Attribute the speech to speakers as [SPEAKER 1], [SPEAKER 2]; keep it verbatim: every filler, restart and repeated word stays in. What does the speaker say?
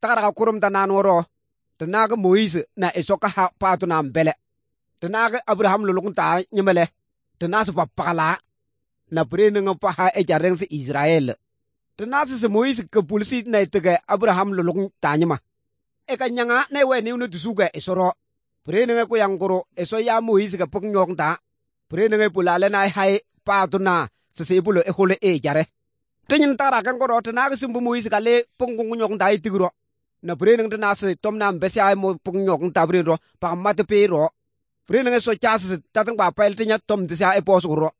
[SPEAKER 1] tagara kurum ta nan woro ta naga Moise na isoka ha patu na mbele ta naga Abraham lulung ta nyemele ta nasu papala na prene nga pa ha e jareng si Israel ta nasu se Moise ke pulsi na itege Abraham lulung ta nyema e ka nyanga na we ni unu tusuga isoro prene nga ko yang goro eso ya Moise ke pok nyong ta prene nga pulale na hai patu na se se bulo e hole e jare tinyin tara kan goro ta naga simbu Moise ka le pok nyong ta itigro na prene nga na se tom na mbese ai mo pok nyong ta prene ro pa mate pe ro prene nga so chas tatang ba pel tinya tom tisa e posuro